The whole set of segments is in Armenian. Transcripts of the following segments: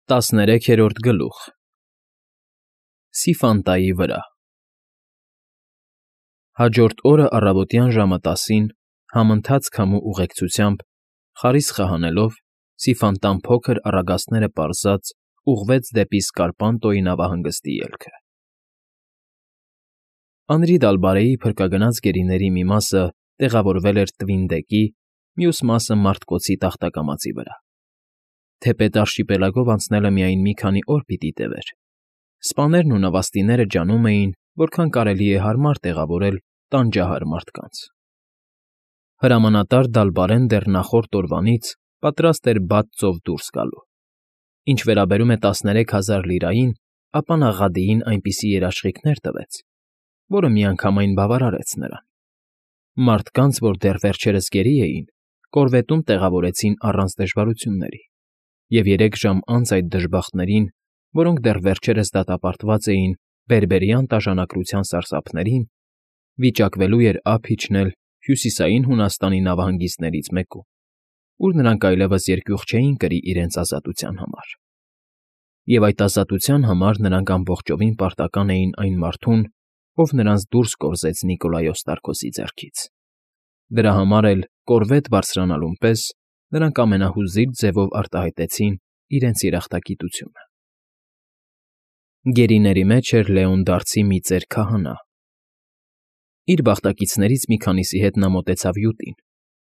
13-րդ գլուխ Սիֆանտայի վրա Հաջորդ օրը առավոտյան ժամը 10-ին, համընթաց քամու ուղեկցությամբ, խարիսխը հանելով, Սիֆանտան փոքր առագաստները պարզած ուղղվեց դեպի Սկարպանտոյի նավահանգստի ելքը։ Անրի Դալբարեի փրկագնաց գերիների մի մասը տեղավորվել էր Տվինդեկի, մյուս մասը Մարտկոցի տախտակամածի վրա։ Թեպետ արշիպելագով անցնելը միայն մի քանի օր պիտի տևեր, սպաներն ու նավաստիները ջանում էին, որքան կարելի է հարմար տեղավորել տանջահար մարդկանց։ Հրամանատար Դալբարեն դեռ նախորդ օրվանից պատրաստ էր բաց ծով դուրս գալու։ Ինչ վերաբերում է 13,000 լիրային, ապա նա Ղադիին այնպիսի երաշխիքներ տվեց, որը միանգամայն բավարարեց նրան։ Մարդկանց, որ դեռ վերջերս գերի էին, կորվետում տեղավորեցին առանց դժվարությունների, և 3 ժամ անց այդ դժբախտներին, որոնք դեռ վերջերս դատապարտված էին բերբերյան տաժանակրության սարսափներին, վիճակվելու էր ափ իջնել Հյուսիսային Հունաստանի նավահանգիստներից մեկում, ուր նրանք այլևս երկյուղ չէին կրի իրենց ազատության համար։ Եվ այդ ազատության համար նրանք ամբողջովին պարտական էին այն մարդուն, ով նրանց դուրս կորզեց Նիկոլայոս Տարկոսի ձեռքից։ Դրա համար էլ, կորվետ բարձրանալուն պես, նրանք ամենահուզիչ ձևով արտահայտեցին իրենց երախտագիտությունը։ Գերիների մեջ էր Լեոնդարցի մի ծեր քահանա։ Իր բախտակիցներից մի քանիսի հետ նա մոտեցավ յուտին,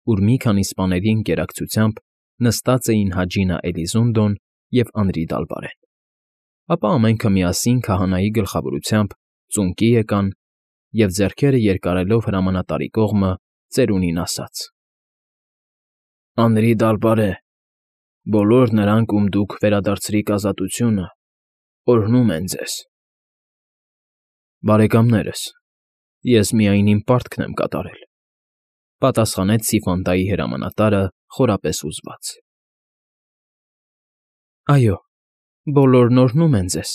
ուր մի քանի սպաների ընկերակցությամբ նստած էին Հաջինա Էլիզունդոն և Անրի Դալբարեն։ Ապա ամենքը միասին քահանայի գլխավորությամբ ծունկի եկան և, ձեռքերը երկարելով հրամանատարի կողմը, ծերունին ասաց. «Անրի Դալբարե, բոլոր նրանք, ում դուք վերադարձրիք ազատությունը, օրհնում են ձեզ»։ «Բարեկամներս, ես միայն իմ պարտքն եմ կատարել», պատասխանեց Սիֆանտայի հրամանատարը խորապես հուզված։ «Այո, բոլորն օրհնում են ձեզ,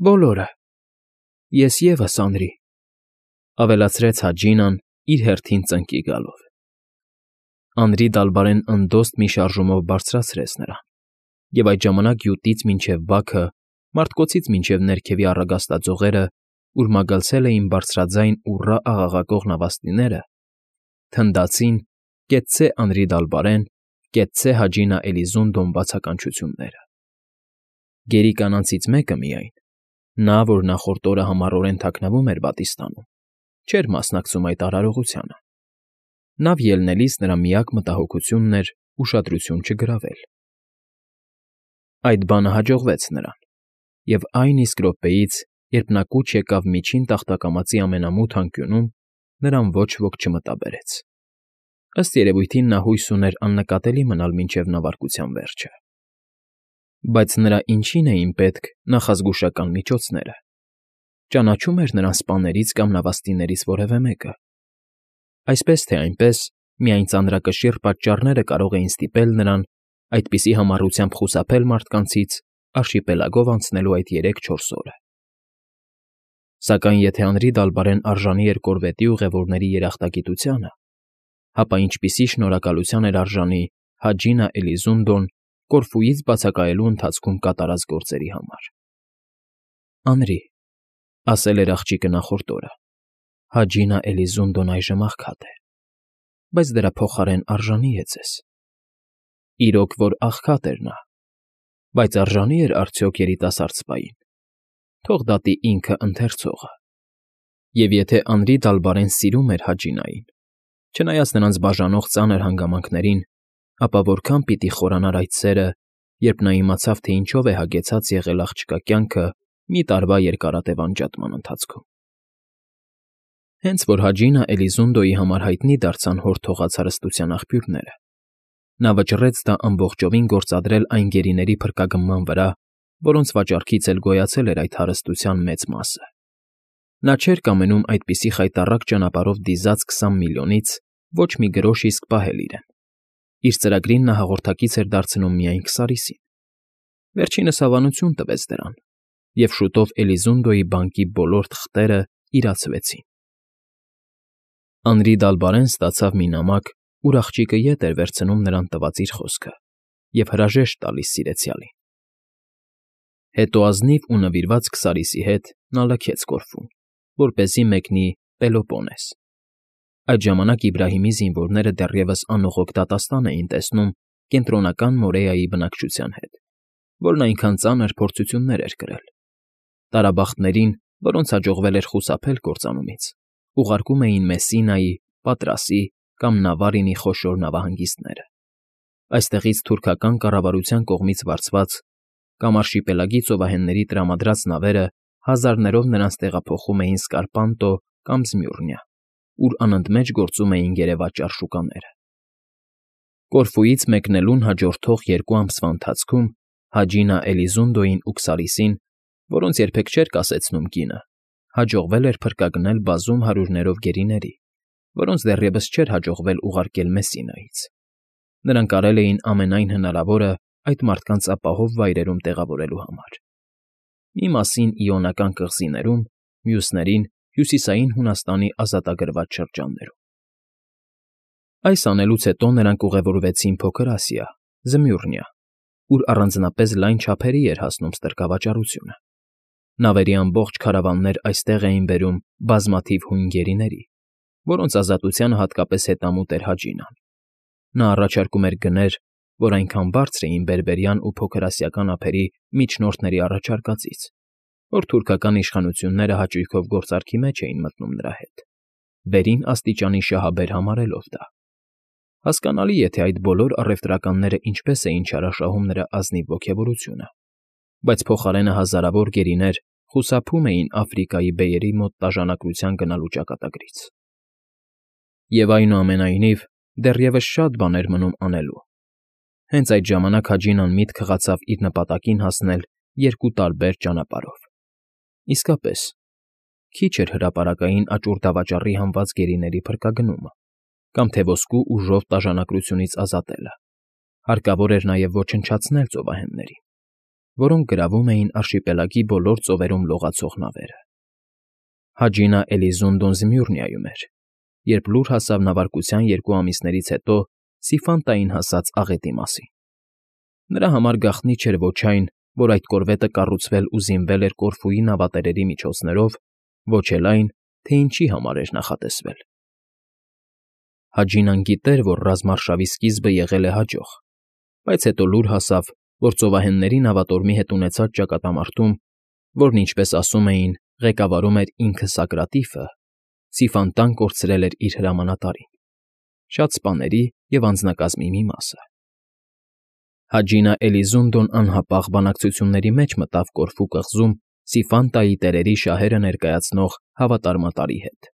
բոլորը, ես ևս, Անրի», ավելացրեց Հաջինան իր հերթին ծնկի գալով։ Անրի Դալբարեն ընդոստ մի շարժումով բարձրացրեց նրան, և այդ ժամանակ յուտից մինչև բաքը, մարտկոցից մինչև ներքևի առագաստաձողերը, ուր մագլցել էին բարձրաձայն ուռա աղաղակող նավաստիները, թնդացին «Կեցցե Անրի Դալբարեն, կեցցե Հաջինա Էլիզունդոն» բացականչությունները։ Գերի կանանցից մեկը միայն, նա, որ նախորդ օրը համառորեն թաքնվում էր պատասխանում, չէր մասնակցում այդ արարողությանը։ Նավ ելնելիս նրա միակ մտահոգությունն էր ուշադրություն չգրավել։ Այդ բանը հաջողվեց նրան, և այն իսկ րոպեից, երբ նա կուչ եկավ միջին տախտակամածի ամենամութ անկյունում, նրան ոչ ոք չմտաբերեց։ Ըստ երևույթին նա հույս ուներ աննկատելի մնալ մինչև նավարկության վերջը։ Բայց նրա ինչին էին պետք նախազգուշական միջոցները։ Ճանաչո՞ւմ էր նրան սպաներից կամ նավաստիներից որևէ մեկը։ Այսպես թե այնպես, միայն ծանրակշիռ պատճառները կարող էին ստիպել նրան այդպիսի համառությամբ խուսափել մարդկանցից արշիպելագով անցնելու այդ 3-4 օրը։ Սակայն եթե Անրի Դալբարեն արժանի էր կորվետի ուղևորների երախտագիտությանը, ապա ինչպիսի շնորհակալության էր արժանի Հաջինա Էլիզունդոն Կորֆուից բացակայելու ընթացքում կատարած գործերի համար։ «Անրի», ասել էր աղջիկը նախորդ օրը, «Հաջինա Էլիզունդոն այժմ աղքատ է, բայց դրա փոխարեն արժանի է ձեզ»։ Իրոք որ աղքատ էր նա, բայց արժանի՞ էր արդյոք երիտասարդ սպային։ Թող դատի ինքը ընթերցողը։ Եվ եթե Անրի Դալբարեն սիրում էր Հաջինային, չնայած նրանց բաժանող ծանր հանգամանքներին, ապա որքան պիտի խորանար այդ սերը, երբ նա իմացավ, թե ինչով է հագեցած եղել աղջկա կյանքը մի տարվա երկարատև անջատման ընթացքում։ Հենց որ Հաջինա Էլիզունդոյի համար հայտնի դարձան հոր թողած հարստության աղբյուրները, նա վճռեց դա ամբողջովին գործադրել այն գերիների փրկագնման վրա, որոնց վաճառքից էլ գոյացել էր այդ հարստության մեծ մասը։ Նա չէր կամենում այդպիսի խայտառակ ճանապարհով դիզած 20 միլիոնից ոչ մի գրոշ իսկ պահել իրեն։ Իր ծրագրին նա հաղորդակից էր դարձնում միայն Քսարիսին։ Վերջինս հավանություն տվեց դրան, և շուտով Էլիզունդոյի բանկի բոլոր թղթերը իրացվեցին։ Անրի Դալբարեն ստացավ մի նամակ, ուր աղջիկը ետ էր վերցնում նրան տված իր խոսքը և հրաժեշտ տալիս սիրեցյալին։ Հետո ազնիվ ու նվիրված Քսարիսի հետ նա լքեց Կորֆուն, որպեսզի մեկնի Պելոպոնես։ Այդ ժամանակ Իբրահիմի զինվորները դեռևս անողոք դատաստան էին տեսնում Կենտրոնական Մորեայի բնակչության հետ, որն այնքան ծանր փորձություններ էր կրել։ Տարաբախտներին, որոնց հաջողվել էր խուսափել կործանումից, ուղարկում էին Մեսսինայի, Պատրասի կամ Նավարինի խոշոր նավահանգիստները։ Այստեղից թուրքական կառավարության կողմից վարձված կամ արշիպելագի ծովահենների տրամադրած նավերը հազարներով նրանց տեղափոխում էին Սկարպանտո կամ Զմյուռնիա, ուր անընդմեջ գործում էին գերեվաճառ շուկաները։ Կորֆուից մեկնելուն հաջորդող 2 ամսվա ընթացքում Հաջինա Էլիզունդոյին ու Քսարիսին, որոնց երբեք չէր կասեցնում կինը, հաջողվել էր փրկագնել բազում հարյուրներով գերիների, որոնց դեռևս չէր հաջողվել ուղարկել Մեսսինայից։ Նրանք արել էին ամենայն հնարավորը այդ մարդկանց ապահով վայրերում տեղավորելու համար։ Մի մասին Իոնական կղզիներում, մյուսներին Հյուսիսային Հունաստանի ազատագրված շրջաններում։ Այս անելուց հետո նրանք ուղևորվեցին Փոքր Ասիա, Զմյուռնիա, ուր առանձնապես լայն չափերի էր հասնում ստրկավաճառությունը։ Նավերի ամբողջ քարավաններ այստեղ էին բերում բազմաթիվ հույն գերիների, որոնց ազատությանը հատկապես հետամուտ էր Հաջինան։ Նա առաջարկում էր գներ, որ այնքան բարձր էին բերբերյան ու փոքրասիական ափերի միջնորդների առաջարկածից, որ թուրքական իշխանությունները հաճույքով գործարքի մեջ էին մտնում նրա հետ, վերին աստիճանի շահաբեր համարելով դա։ Հասկանալի, եթե այդ բոլոր առևտրականները ինչպես էին չարաշահում նրա ազնիվ ոգևորությունը, բայց փոխարենը հազարավոր գերիներ խուսափում էին Աֆրիկայի բեյերի մոտ տաժանակրության գնալու ճակատագրից։ Եվ այնուամենայնիվ, դեռևս շատ բան էր մնում անելու։ Հենց այդ ժամանակ Հաջինան միտք խղացավ իր նպատակին հասնել 2 տարբեր ճանապարհով։ Իսկապես, քիչ էր հրապարակային աճուր դավաճառի հանված գերիների փրկագնումը, կամ թե ոսկու ու ժով տաժանակրությունից ազատելը։ Հարկավոր էր նաև ոչնչացնել ծովահեններին, որոնք գրավում էին արշիպելագի բոլոր ծովերում լողացող նավերը։ Հաջինա Էլիզունդոն Զմյուռնիայում էր, երբ լուր հասավ նավարկության 2 ամիսներից հետո Սիֆանտային հասած աղետի մասին։ Նրա համար գաղտնի չէր ոչ այն, որ այդ կորվետը կառուցվել ու զինվել էր Կորֆուի նավատերերի միջոցներով, ոչ էլ այն, թե ինչի համար էր նախատեսվել։ Հաջինան գիտեր, որ ռազմարշավի սկիզբը եղել է հաջող, բայց հետո լուր հասավ, որ ծովահենների նավատորմի հետ ունեցած ճակատամարտում, որն, ինչպես ասում էին, ղեկավարում էր ինքը Սակրատիֆը, Սիֆանտան կորցրել էր իր հրամանատարին, շատ սպաների և անձնակազմի մի մասը։ Հաջինա Էլիզունդոն անհապաղ բանակցությունների մեջ մտավ Կորֆու կղզում Սիֆանտայի տերերի շահերը ներկայացնող հավատարմատարի հետ։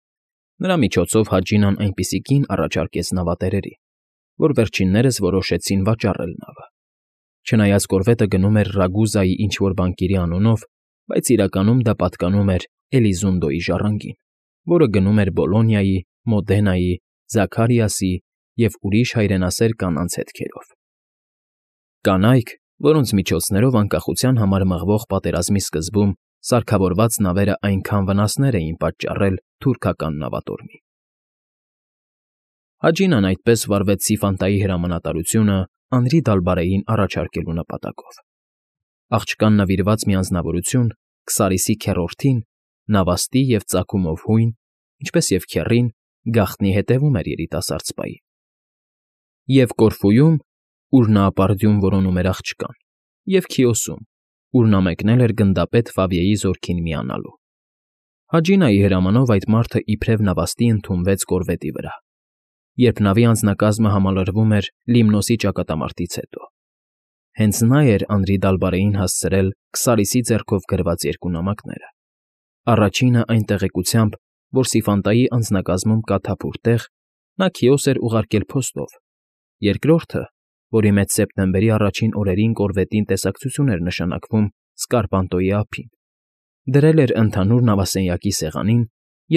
Նրա միջոցով Հաջինան այնպիսի կին առաջարկեց նավատերերին, որ վերջիններս որոշեցին վաճառել նավը։ Չնայած կորվետը գնում էր Ռագուզայի ինչ֊որ բանկիրի անունով, բայց իրականում դա պատկանում էր Էլիզունդոյի ժառանգին, որը գնում էր Բոլոնիայի, Մոդենայի, Զաքարիասի և ուրիշ հայրենասեր կանանց հետքերով։ Կանայք, որոնց միջոցներով անկախության համար մղվող պատերազմի սկզբում սարքավորված նավերը այնքան վնասներ էին պատճառել թուրքական նավատորմին։ Հաջինան այդպես վարվեց Սիֆանտայի հրամանատարությունը Անրի Դալբարեին առաջարկելու նպատակով։ Աղջկան նվիրված մի անձնավորություն Քսարիսի քեռորդին, նավաստի և ծագումով հույն, ինչպես և քեռին, գաղտնի հետևում էր երիտասարդ սպային։ Եվ Կորֆուում, ուր նա ապարդյուն որոնում էր աղջկան, և Քիոսում, ուր նա մեկնել էր գնդապետ Ֆավիեի զորքին միանալու։ Հաջինայի հրամանով այդ մարդը իբրև նավաստի ընդունվեց կորվետի վրա, երբ նավի անձնակազմը համալրվում էր Լիմնոսի ճակատամարտից հետո։ Հենց նա էր Անրի Դալբարեին հասցրել Քսարիսի ձեռքով գրված 2 նամակները։ Առաջինը այն տեղեկությամբ, որ Սիֆանտայի անձնակազմում կա թափուր տեղ, նա Քիոս էր ուղարկել փոստով, երկրորդը, որի մեջ սեպտեմբերի առաջին օրերին կորվետին տեսակցություն էր նշանակվում Սկարպանտոյի ափին, դրել էր ընդհանուր նավասենյակի սեղանին,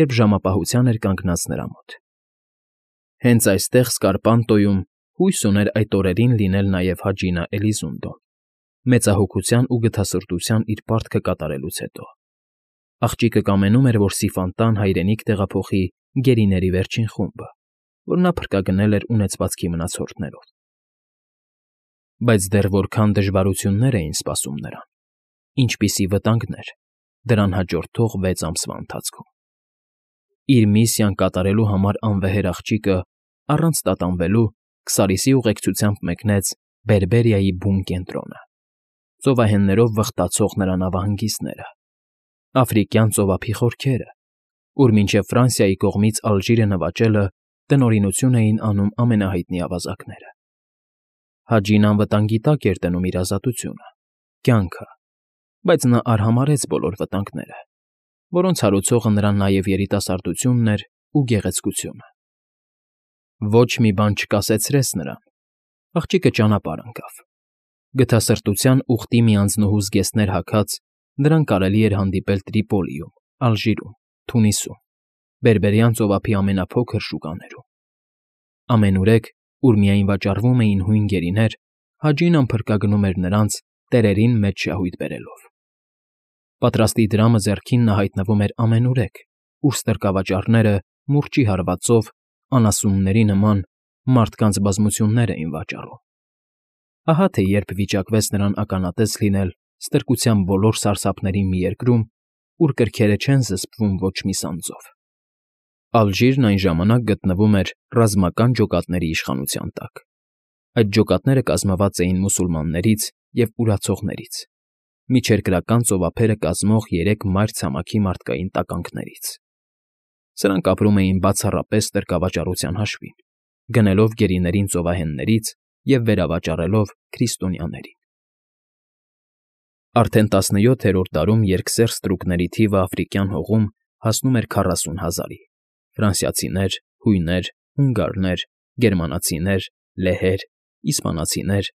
երբ ժամապահության էր կանգնած նրա մոտ։ Հենց այստեղ Սկարպանտոյում հույս ուներ այդ օրերին լինել նաև Հաջինա Էլիզունդոն, մեծահոգության ու գթասրտության իր պարտքը կատարելուց հետո։ Աղջիկը կամենում էր, որ Սիֆանտան հայրենիք տեղափոխի գերիների վերջին խումբը, որ նա փրկագնել էր ունեցվածքի մնացորդներով։ Բայց դեռ որքան դժվարություններ էին սպասում նրան։ ինչպիսի վտանգներ, դրան հաջորդող 6 ամսվա ընթացքում։ Իր միսիան կատարելու համար անվեհեր աղջիկը, առանց տատանվելու, Քսարիսի ուղեկցությամբ մեկնեց Բերբերիայի բուն կենտրոնը, ծովահեններով վխտացող նրա նավահանգիստները, Աֆրիկյան ծովափի խորքերը, ուր մինչև Ֆրանսիայի կողմից Ալժիրը նվաճելը տնօրինություն էին անում ամենահայտնի ավազակները։ Հաջին անվտանգի տակ էր դնում իր ազատությունը, կյանքը, բայց նա արհամարհեց բոլոր վտանգները, որոնց հարուցողը նրան նաև երիտասարդությունն էր ու գեղեցկությունը։ Ոչ մի բան չկասեցրեց նրան, աղջիկը ճանապարհ ընկավ։ Գթասրտության ուխտի մի անձնուհու զգեստներ հագած նրան կարելի էր հանդիպել Տրիպոլիում, Ալժիրում, Թունիսում, Բերբերյան ծովափի ամենափոքր շուկաներում։ Ամենուրեք, ուր միայն վաճառվում էին հույն գերիներ, Հաջինան փրկագնում էր նրանց, տերերին մեջ շահույթ բերելով։ Պատրաստի դրամը ձեռքին նա հայտնվում էր ամենուրեք, ուր ստրկավաճառները մուրճի հարվածով, անասունների նման, մարդկանց բազմություններ էին վաճառում։ Ահա թե երբ վիճակվեց նրան ականատես լինել ստրկության բոլոր սարսափների մի երկրում, ուր կրքերը չեն զսպվում ոչ մի սանձով։ Ալժիրն այն ժամանակ գտնվում էր ռազմական ջոկատների իշխանության տակ։ Այդ ջոկատները կազմված էին մուսուլմաններից և ուրացողներից, միջերկրական ծովափերը կազմող 3 մայր ցամաքի մարդկային տականքներից։ Սրանք ապրում էին բացառապես ստրկավաճառության հաշվին, գնելով գերիներին ծովահեններից և վերավաճառելով քրիստոնյաներին։ Արդեն 17-րդ դարում երկսեռ ստրուկների թիվը Աֆրիկյան հողում հասնում էր 40 000-ի. ֆրանսիացիներ, հույներ, հունգարներ, գերմանացիներ, լեհեր, իսպանացիներ,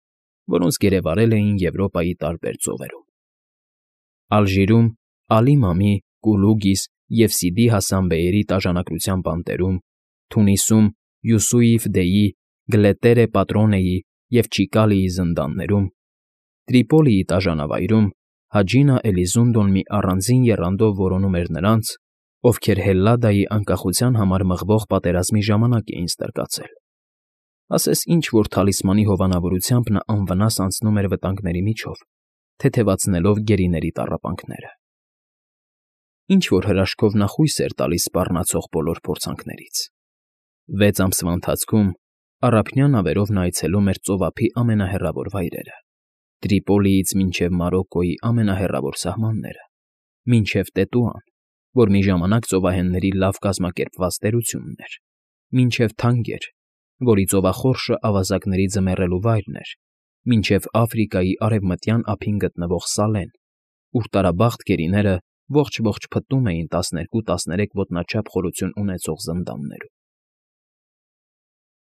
որոնց գերեվարել էին Եվրոպայի տարբեր ծովերում։ Ալժիրում Ալի Մամի, Կուլուգիս և Սիդի Հասան բեյերի տաժանակրության բանտերում, Թունիսում Յուսուիֆ Դեյի, Գլետերե Պատրոնեի և Չիկալիի զնդաններում, Տրիպոլիի տաժանավայրում Հաջինա Էլիզունդոն մի առանձին եռանդով որոնում էր նրանց, ովքեր Հելլադայի անկախության համար մղվող պատերազմի ժամանակ էին ստրկացել։ Ասես ինչ-որ թalisմանի հովանավորությամբ նա անվնաս անցնում էր վտանգների միջով, թեթևացնելով գերիների տառապանքները։ Ինչ-որ հրաշքով նա խույս էր տալիս սպառնացող բոլոր փորձանքներից։ 6 ամսվա ընթացքում առափնյա նավերով նա այցելում էր ծովափի ամենահեռավոր վայրերը, Տրիպոլիից մինչև Մարոկկոյի ամենահեռավոր սահմանները, մինչև Տետուան, որ մի ժամանակ ծովահենների լավ կազմակերպված տերությունն էր, մինչև Թանգեր, որի ծովախորշը ավազակների ձմեռելու վայրն էր, մինչև Աֆրիկայի արևմտյան ափին գտնվող Սալեն, ուր տարաբախտ գերիները ողջ֊ողջ փտտում էին 12-13 ոտնաչափ խորություն ունեցող զնդաններում։